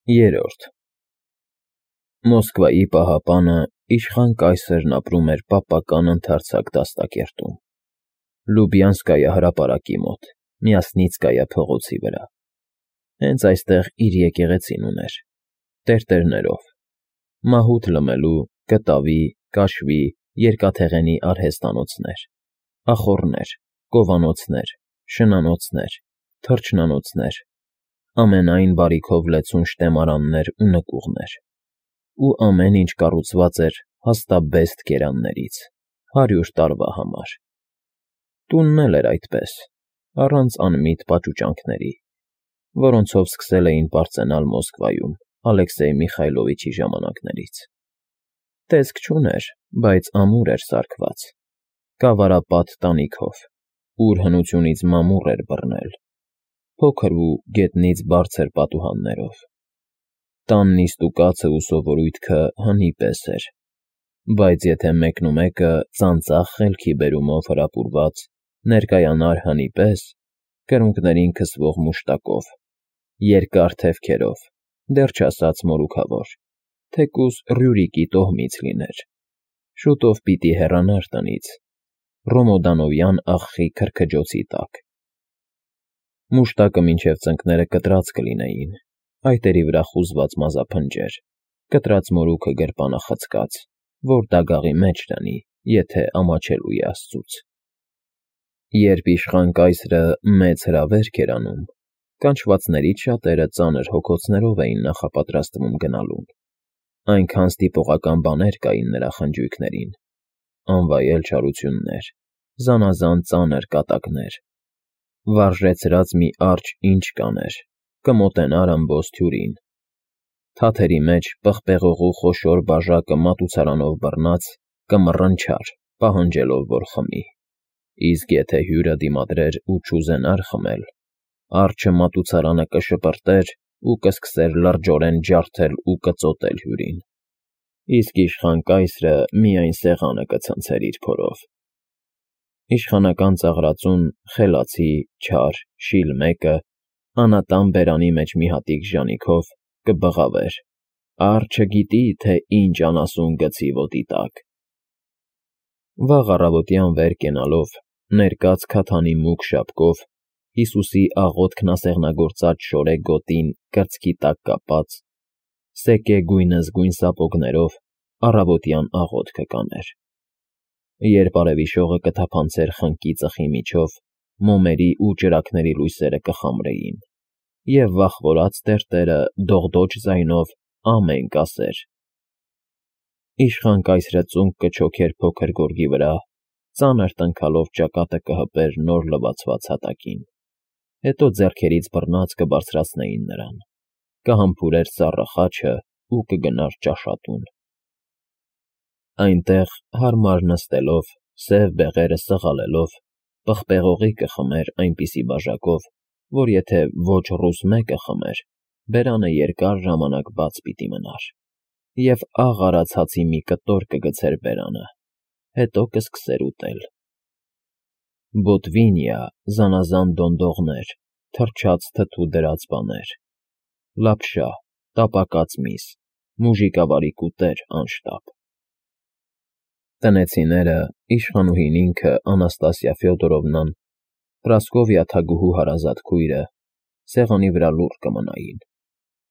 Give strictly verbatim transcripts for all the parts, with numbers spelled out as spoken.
Երրորդ Մոսկվայի պահապանը իշխան կայսրն ապրում էր պապական ընդարձակ դաստակերտում, Լուբյանսկայա հրապարակի մոտ, Մյասնիցկայա փողոցի վրա, հենց այստեղ իր եկեղեցին ուներ, տերտերներով, մահութ լմելու, կտավի, կաշվի, երկաթեղենի արհեստանոցներ, ախոռներ, կովանոցներ, շնանոցներ, թռչնանոցներ, ամենայն բարիքով լեցուն շտեմարաններ ու նկուղներ, ու ամեն ինչ կառուցված էր հաստաբեստ կերաններից, հարյուր տարվա համար. տունն էլ էր այդպես, առանց անմիտ պաճուճանքների, որոնցով սկսել էին պարծենալ Մոսկվայում Ալեքսեյ Միխայլովիչի ժամանակներից. տեսք չուներ, բայց ամուր էր սարքված, կավարապատ տանիքով, ուր հնությունից մամուռ էր բռնել, փոքր ու գետնից բարձր պատուհաններով. տան նիստուկացը ու սովորույթքը հնի պես էր, բայց եթե մեկնումեկը ծանծաղ խելքի բերումով հրապուրված ներկայանար հնի պես, կրունկներին քսվող մուշտակով, երկար թևքերով, դեռ չասած մորուքավոր, թեկուզ Ռյուրիկի տոհմից լիներ, շուտով պիտի հեռանար տնից, Ռոմոդանովյան աղխի քրքջոցի տակ. մուշտակը մինչև ծնկները կտրած կլինեին, այտերի վրա խուզված մազափնջեր, կտրած մորուքը գրպանախցկած, որ դագաղի մեջ լինի, եթե ամաչելու է աստծուց. երբ իշխան կայսրը մեծ հրավերք էր անում, կանչվածներից շատերը ծանր հոգոցներով էին նախապատրաստվում գնալուն, այնքան ստիպողական բաներ կային նրա խնջույքներին, անվայել չարություններ, զանազան ծանր կատակներ, վարժեցրած մի արջը ինչ կաներ, կմոտենար ըմբոստ հյուրին, թաթերի մեջ պղպեղողու խոշոր բաժակը մատուցարանով բռնած կմռնչար, պահանջելով, որ խմի, իսկ եթե հյուրը դիմադրեր ու չուզենար խմել, արջը մատուցարանը կշպրտեր ու կսկսեր լրջորեն ջարդել ու կծոտել հյուրին, իսկ իշխան կայսրը միայն սեղանը կցնցեր իր փորով. իշխանական ծաղրածուն խելացի, չար, շիլ մեկը, անատան բերանի մեջ մի հատիկ ժանիքով, կբղավեր. արջը գիտի, թե ինչ անասուն գցի ոտի տակ. վաղ առավոտյան վեր կենալով, ներկած քաթանի մուգ շապկով, Հիսուսի աղոթքն ասեղնագործած շորե գոտին կրծքի տակ կապած, սեկե գույնզգույն սապոգներով առավոտյան աղոթքը կաներ. երբ արևի շողը կթափանցեր խնկի ծխի միջով, մոմերի ու ճրագների լույսերը կխամրեին, և վախվորած տերտերը դողդոջ ձայնով ամեն կասեր. իշխան կայսրը ծունկ կչոքեր փոքր գորգի վրա, ծանր տնքալով ճակատը կհպեր նոր լվացված հատակին, հետո ձեռքերից բռնած կբարձրացնեին նրան, կհամբուրեր սառը խաչը ու կգնար ճաշատուն. այնտեղ հարմար նստելով, սև բեղերը սղալելով, պղպեղողի կխմեր այնպիսի բաժակով, որ եթե ոչ ռուս մեկը խմեր, բերանը երկար ժամանակ բաց պիտի մնար, և աղ արած հացի մի կտոր կգցեր բերանը, հետո կսկսեր ուտել. բոտվինիա, զանազան դոնդողներ, թռչած թթու դրած բաներ, լապշա, տապակած միս, մուժիկավարի կուտեր անշտապ. տնեցիները, իշխանուհին ինքը Անաստասիա Ֆյոդորովնան, Պրասկովիա թագուհու հարազատ քույրը, սեղանի վրա լուռ կմնային,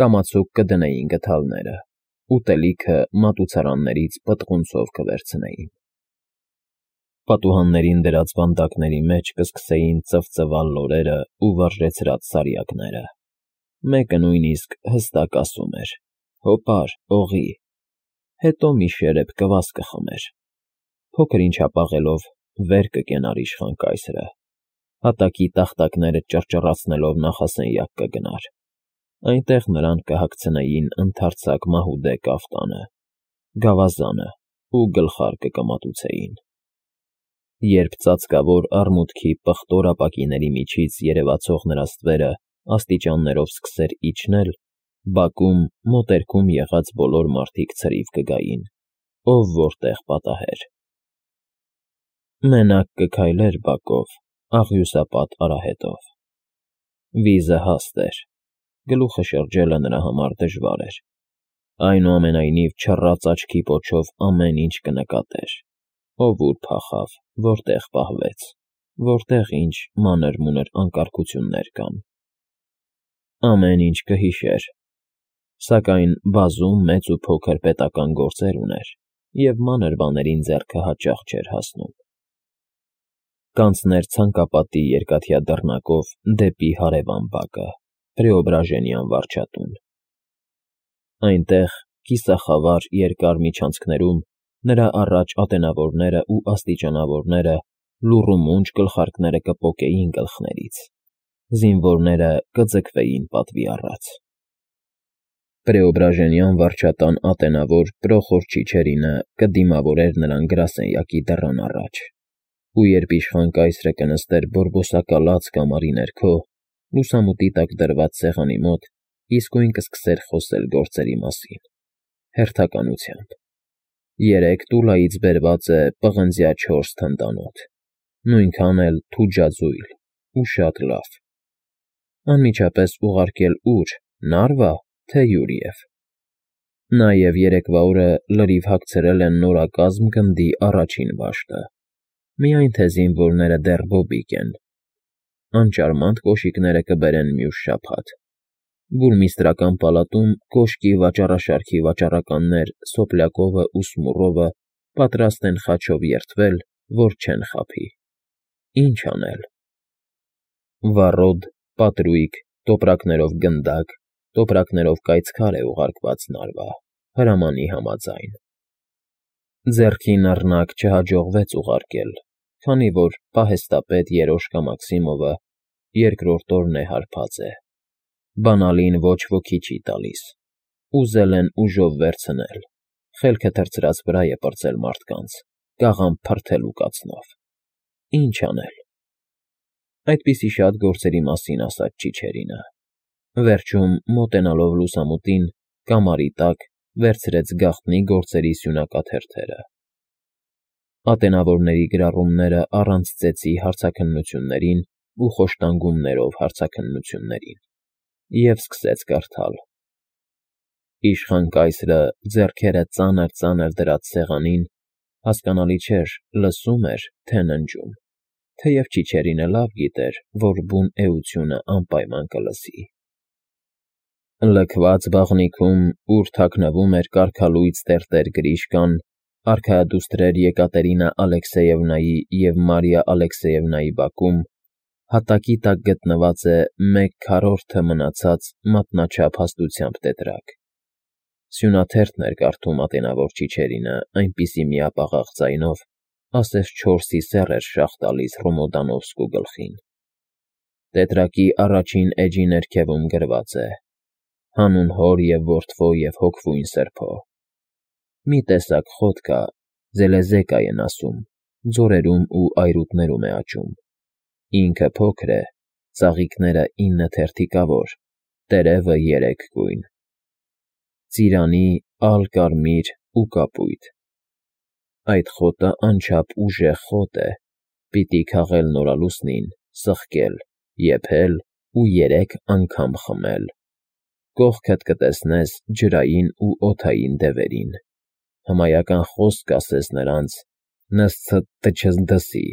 կամացուկ կդնեին գդալները, ուտելիքը մատուցարաններից պտղունցով կվերցնեին, պատուհաններին դրած վանդակների մեջ կսկսեին ծվծվալ լորերը ու վարժեցրած սարյակները, մեկը նույնիսկ հստակ ասում էր. հոպար, օղի, հետո մի շերեփ կվաս կխմեր, փոքր ինչ հապաղելով վեր կկենար իշխան կայսրը, հատակի տախտակները ճռճռացնելով նախասենյակ կգնար, այնտեղ նրան կհագցնեին ընդարձակ մահուդե կաֆտանը, գավազանը ու գլխարկը կմատուցեին, երբ ծածկավոր արմունկի պղտոր ապակիների միջից երևացող նրա ստվերը աստիճաններով սկսեր իջնել, բակում մոտերքում եղած բոլոր մարդիկ ցրիվ կգային, ով որտեղ պատահեր. մենակ կքայլեր բակով, աղյուսապատ արահետով. վիզը հաստ էր, գլուխը շրջելը նրա համար դժվար էր։ Այնուամենայնիվ չռած աչքի պոչով ամեն ինչ կնկատեր. ով ուր փախավ, որտեղ պահվեց, որտեղ ինչ մանր-մունր անկարգություններ կան։ Ամեն ինչ կհիշեր, սակայն բազում մեծ ու փոքր պետական գործեր ուներ, և մանր բաներին ձեռքը հաճախ չէր հասնում։ Կանցներ ցանկապատի երկաթյա դռնակով դեպի հարևան բակը, Պրեոբրաժենյան վարչատուն։ Այնտեղ, կիսախավար երկար միջանցքներում, նրա առաջ ատենավորները ու աստիճանավորները լուռ ու մունջ գլխարկները կպոկեին գլխներից, զինվորները կձգվեին պատվի առաջ։ Պրեոբրաժենյան վարչատան ատենավոր Պրոխոր Չիչերինը կդիմավորեր նրան գրասենյակի դռան առաջ, ու երբ իշխան կայսրը կնստեր բորբոսակալած կամարի ներքո, լուսամուտի տակ դրված սեղանի մոտ, իսկույն կսկսեր խոսել գործերի մասին, հերթականությամբ։ Երեք տուլայից բերված է պղնձյա չորս թնդանոթ, նույնքան էլ թուջաձույլ ու շատ լավ։ Անմիջապես ուղարկել ո՞ւր, Նարվա, թե Յուրիև։ Նաև երեկվա օրը լրիվ հագցրել են նորակազմ գնդի առաջին վաշտը, միայն թե զինվորները դեռ բոբիկ են։ Անճարմանդ կոշիկները կբերեն մյուս շաբաթ։ Բուրմիստրական պալատում կոշկի վաճառաշարքի վաճառականներ Սոպլյակովը ու Սմուրովը պատրաստ են խաչով երդվել, որ չեն խաբի։ Ինչ անել։ Վառոդ, պատրույգ, տոպրակներով գնդակ, տոպրակներով կայծքար է ուղարկված Նարվա, հրամանի համաձայն։ Ձեռքին առնակ չհաջողվեց ուղարկել, քանի որ պահեստապետ Երոշկա Մաքսիմովը երկրորդ օրն է հարբած է։ Բանալին ոչ ոքի չի տալիս։ Ուզել են ուժով վերցնել, խելքը թռցրած վրա է պրծել մարդկանց, կաղամբ փրթելու կացնով։ Ինչ անել։ Այդպիսի շատ գործերի մասին ասաց Չիչերինը։ Վերջում, մոտենալով լուսամուտին, կամարի տակ վերցրեց գաղտնի գործերի սյունակաթերթերը։ Ատենավորների գրառումները առանց ծեծի հարցաքննություններին ու խոշտանգումներով հարցաքննություններին, և սկսեց կարդալ։ Իշխան կայսրը ձեռքերը ծանր-ծանր դրած սեղանին, հասկանալի չէր, լսում էր, թե ննջում, թեև Չիչերինը լավ գիտեր, որ բուն էությունը անպայման կլսի։ Լքված բաղնիքում, ուր թաքնվում էր կարգալույծ տերտեր Գրիշկան, արքայադուստրեր Եկատերինա Ալեքսեևնայի և Մարիա Ալեքսեևնայի բակում, հատակի տակ գտնված է մեկ քառորդը մնացած մատնաչափ հաստությամբ տետրակ։ Սյունաթերթն էր կարդում ատենավոր Չիչերինը այնպիսի միապաղաղ ձայնով, ասես չորսի սեռ էր շաղ տալիս Ռոմոդանովսկու գլխին։ Տետրակի առաջին էջի ներքևում գրված է. «Հանուն հոր և որդվո և հոգվույն սրբո»։ Մի տեսակ խոտ կա, Զելեզեկա են ասում, ձորերում ու այրուտներում է աճում։ Ինքը փոքր է, ծաղիկները ինը թերթիկավոր, տերևը երեք գույն։ Ծիրանի, ալ կարմիր ու կապույտ։ Այդ խոտը անչափ ուժեղ խոտ է, պիտի քաղել նորալուսնին, սխկել, եփել ու երեք անգամ խմել։ Կողքդ կտեսնես ջրային ու օդային դևերին, հմայական խոսք կասես նրանց, նսցտչզդսի,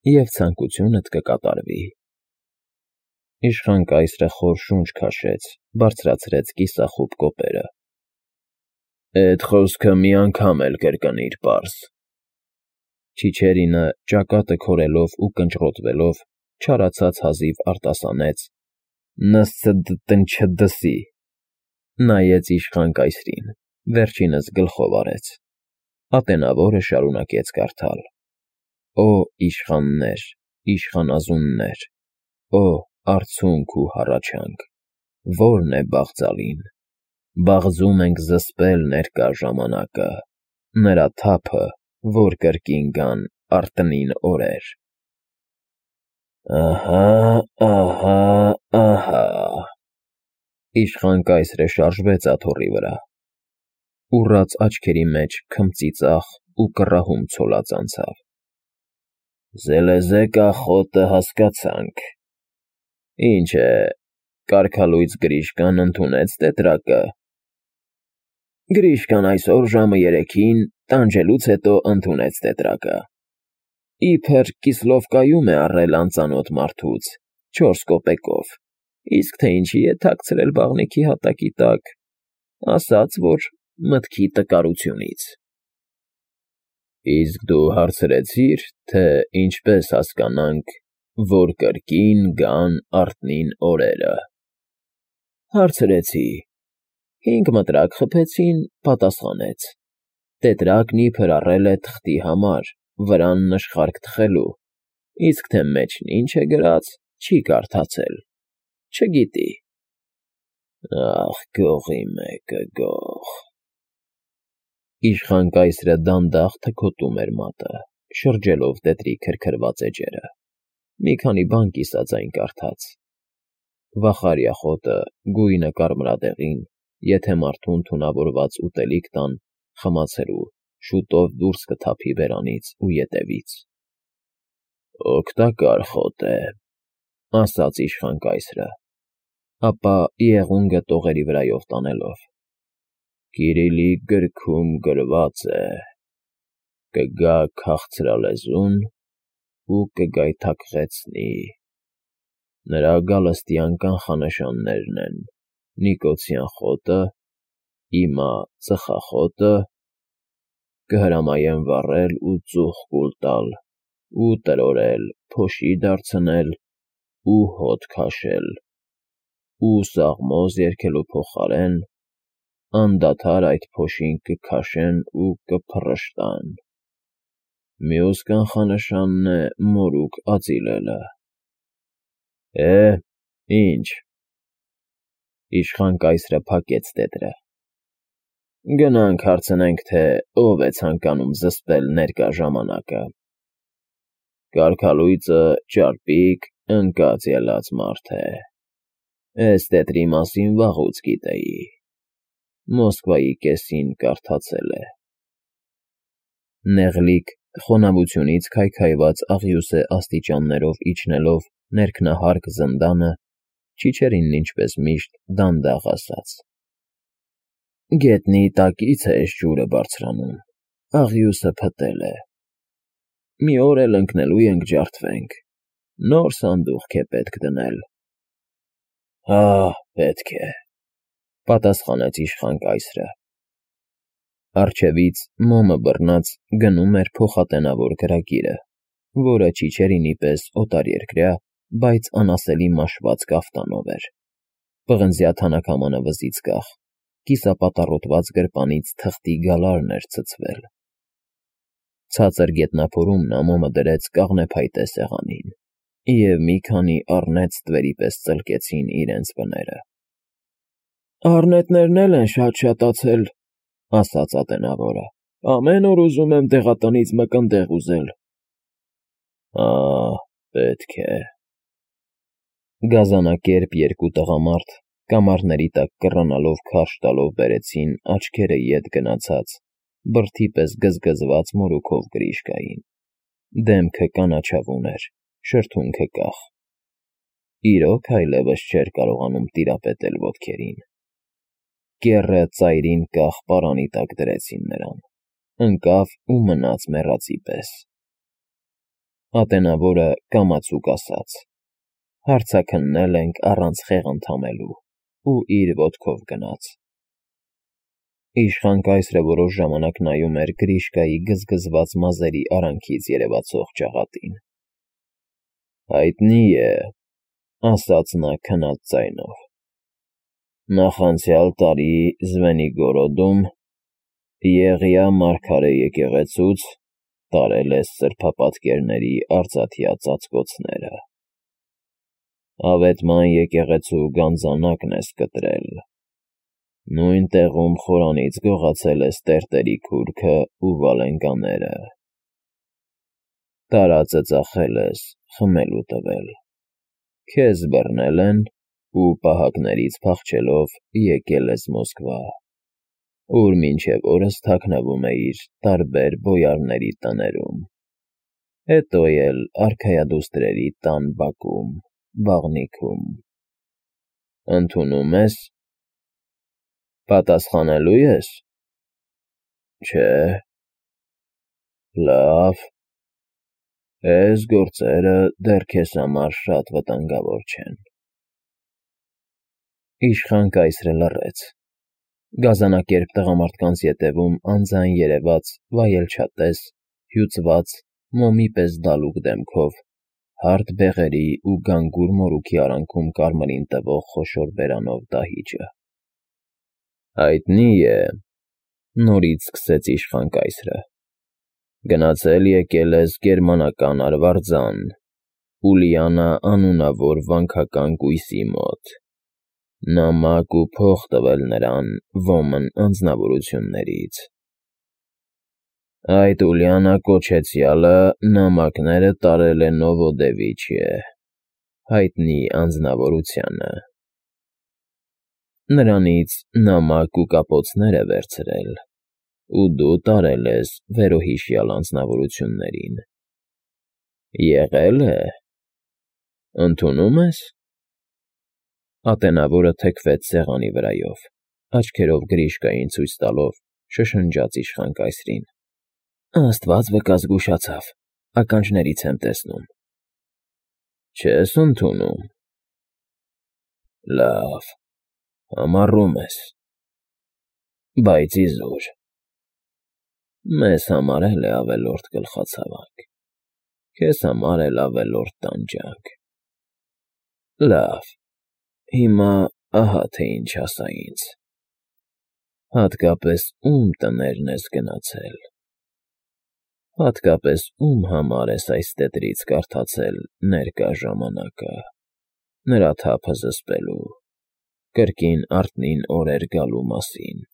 և ցանկությունդ կկատարվի։ Իշխան կայսրը խոր շունչ քաշեց, բարձրացրեց կիսախուտ կոպերը։ Էդ խոսքը մի անգամ էլ կրկնիր պարզ։ Չիչերինը, ճակատը քորելով ու կնճռոտվելով, չարացած հազիվ արտասանեց. Նսցտչդսի։ Նայեց իշխան կայսրին, վերջինս գլխով արեց։ Ատենավորը շարունակեց կարդալ. Օ իշխաններ, իշխանազուններ, օ արցունք ու հառաչանք, ո՞րն է բաղձալին։ Բաղձում ենք զսպել ներկա ժամանակը, նրա թափը, որ կրկին գան արտնին օրեր։ Ահա, ահա, ահա։ Իշխան կայսրը շարժվեց աթոռի վրա։ Ուռած աչքերի մեջ քմծիծաղ ու կռահում ցոլած անցավ։ Զելեզեկա խոտը հասկացանք։ Ինչ է, կարգալույծ Գրիշկան ընդունեց տետրակը։ Գրիշկան այսօր ժամը երեքին տանջելուց հետո ընդունեց տետրակը։ Իբր Կիսլովկայում է առել անծանոթ մարդուց չորս կոպեկով, իսկ թե ինչի է թաքցրել բաղնիքի հատակի տակ, ասաց, որ մտքի տկարությունից։ Իսկ դու հարցրեցի՞ր, թե ինչպես հասկանանք, որ կրկին գան արթնին օրերը։ Հարցրեցի։ Հինգ մտրակ խփեցին, պատասխանեց։ Տետրակն իբր առել է թղթի համար, վրան նշխարք թխելու, իսկ թե մեջն ինչ է գրած, չի կարդացել, չգիտի։ Ախ, գողի մեկը, գող։ Իշխան կայսրը դանդաղ թքոտում էր մատը, շրջելով տետրի քրքրված էջերը։ Մի քանի բան կիսաձայն կարդաց։ Վախարյա խոտը, գույնը կարմրադեղին, եթե մարդուն թունավորված ուտելիք տան, խմացելու, շուտով դուրս կթափի բերանից ու ետևից։ Օգտակար խոտ է, ասաց իշխան կայսրը, ապա եղունգը տողերի վրայով տանելով։ Կիրիլի գրքում գրված է. կգա քաղցրալեզուն ու կգայթակղեցնի։ Նրա գալստյան կանխանշաններն են Նիկոցյան խոտը, իմա ծխախոտը, կհրամայեմ վառել ու ծուխ կուլ տալ, ու տրորել, փոշի դարձնել ու հոտ քաշել, ու սաղմոզ երգելու փոխարեն անդադար այդ փոշին կքաշեն ու կփռշտան։ Մյուս կանխանշանն է մորուք ածիլելը։ Է, ինչ։ Իշխան կայսրը փակեց տետրը։ Գնանք հարցնենք, թե ով է ցանկանում զսպել ներկա ժամանակը։ Կարգալույծը ճարպիկ, ընկած ելած մարդ է։ Էս տետրի մասին վաղուց գիտեի։ Մոսկվայի կեսին կարդացել է։ Նեղլիկ, խոնավությունից քայքայված աղյուսե աստիճաններով իջնելով ներքնահարկ զնդանը, Չիչերինն ինչպես միշտ դանդաղ ասաց. Գետնի տակից է էս ջուրը բարձրանում, աղյուսը փտել է։ Մի օր էլ ընկնելու ենք ջարդվենք, նոր սանդուղք է պետք դնել։ Հա, պետք է, պատասխանեց իշխան կայսրը։ Առջևից մոմը բռնած գնում էր փոխատենավոր գրագիրը, որը Չիչերինի պես օտարերկրյա, բայց անասելի մաշված կաֆտանով էր։ Պղնձյա թանաքամանը վզից կախ, կիսապատառոտված գրպանից թղթի գալարն էր ցցվել։ Ցածր գետնափորում նա մոմը դրեց կաղնեփայտե սեղանին, և մի քանի առնետ ստվերի պես ծլկեցին իրենց բները։ Առնետներն էլ են շատ շատացել, ասաց ատենավորը, ամեն օր ուզում եմ դեղատնից մկնդեղ ուզել։ Հա, պետք է։ Գազանակերպ երկու տղամարդ, կամարների տակ կռանալով քարշ տալով բերեցին աչքերը ետ գնացած, բրդի պես գզգզված մորուքով Գրիշկային։ Դեմքը կանաչավուն էր, շրթունքը կախ։ Իրոք այլևս չէր կարողանում տիրապետել ոտքերին։ Կեռը ծայրին կախ պարանի տակ դրեցին նրան, ընկավ ու մնաց մեռածի պես։ Ատենավորը կամացուկ ասաց. Հարցաքննել ենք առանց խեղընդամելու, ու իր ոտքով գնաց։ Իշխան կայսրը որոշ ժամանակ նայում էր Գրիշկայի գզգզված մազերի արանքից երևացող ճաղատին։ Հայտնի է, ասաց նա քնած ձայնով։ Նախանցյալ տարի Զվենիգորոդում Եղիա մարգարե եկեղեցուց տարել է սրբապատկերների արծաթյա ծածկոցները։ Ավետման եկեղեցու գանձանակն ես կտրել։ Նույն տեղում խորանից գողացել ես տերտերի քուրքը ու վալենկաները։ Տարածը ծախել ես, խմելու տվել։ Քեզ բռնել են ու պահակներից փախչելով եկել ես Մոսկվա, ուր մինչև օրս թաքնվում էիր տարբեր բոյարների տներում, հետո էլ արքայադուստրերի տան բակում, բաղնիքում։ Ընդունում ես։ Պատասխանելու ես։ Չէ։ Լավ։ Այս գործերը դեռ քեզ համար շատ վտանգավոր չեն։ Իշխան կայսրը լռեց։ Գազանակերպ տղամարդկանց ետևում անձայն երևաց վայելչատես, հյուծված, մոմի պես դալուկ դեմքով, հարթ բեղերի ու գանգուր մորուքի արանքում կարմրին տվող խոշոր բերանով դահիճը։ Հայտնի է, նորից սկսեց իշխան կայսրը, գնացել եկել ես գերմանական արվարձան, Ուլիանա անունավոր վանքական կույսի մոտ, նամակ ու փող տվել նրան ոմն անձնավորություններից։ Այդ Ուլիանա կոչեցյալը նամակները տարել է Նովոդևիչիե, հայտնի անձնավորությանը։ Նրանից նամակ ու կապոցներ է վերցրել, ու դու տարել ես վերոհիշյալ անձնավորություններին։ Եղե՞լ է։ Ընդունում ես։ Ատենավորը թեքվեց սեղանի վրայով, աչքերով Գրիշկային ցույց տալով, շշնջաց իշխան կայսրին. Աստված վկա զգուշացավ, ականջներից եմ տեսնում։ Չես ընդունում։ Լավ, համառում ես։ Բայց իզուր։ Մեզ համար էլ է ավելորդ գլխացավանք, քեզ համար էլ ավելորդ տանջանք։ Լավ, հիմա ահա թե ինչ ասա ինձ։ Հատկապես ում տներն ես գնացել։ Հատկապես ում համար ես այս տետրից կարդացել ներկա ժամանակը, նրա թափը զսպելու, կրկին արթնին օրեր գալու մասին։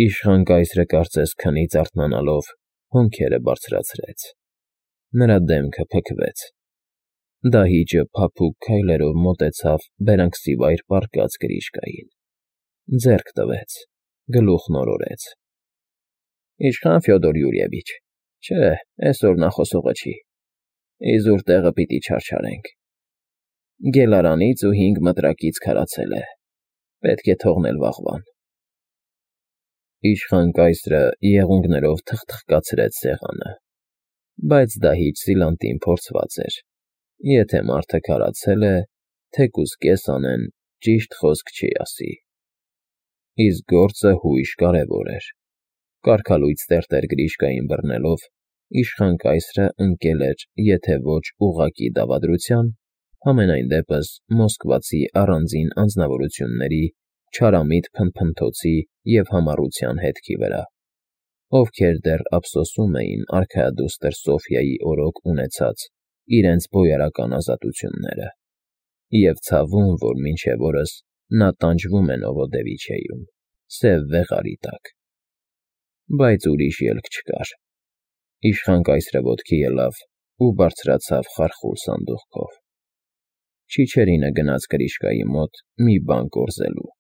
Իշխան կայսրը կարծես քնից արթնանալով հոնքերը բարձրացրեց։ Նրա դեմքը փքվեց։ Դահիճը փափուկ քայլերով մոտեցավ բերանքսիվայր պառկած Գրիշկային, ձեռք տվեց, գլուխն օրորեց։ Իշխան Ֆյոդոր Յուրիևիչ, չէ, այսօր նա խոսողը չի, իզուր տեղը պիտի չարչարենք։ Գելարանից ու հինգ մտրակից քարացել է, պետք է թողնել վաղվան։ Իշխան կայսրը եղունգներով թխթխկացրեց սեղանը, բայց դահիճ Սիլանտին փորձված էր, եթե մարդը քարացել է, թեկուզ կես անեն, ճիշտ խոսք չի ասի։ Իսկ գործը հույժ կարևոր էր։ Կարգալույծ տերտեր Գրիշկային բռնելով, իշխան կայսրը ընկել էր, եթե ոչ ուղղակի դավադրության, համենայն դեպս մոսկվացի առանձին անձնավորությունների չարամիտ փնփնթոցի և համառության հետքի վրա, ովքեր դեռ ափսոսում էին արքայադուստր Սոֆյայի օրոք ունեցած իրենց բոյարական ազատությունները, և ցավում, որ մինչև օրս նա տանջվում է Նովոդևիչիեում, սև վեղարի տակ։ Բայց ուրիշ ելք չկար։ Իշխան կայսրը ոտքի ելավ ու բարձրացավ խարխուլ սանդուղքով։ Չիչերինը գնաց Գրիշկայի մոտ մի բան կորզելու։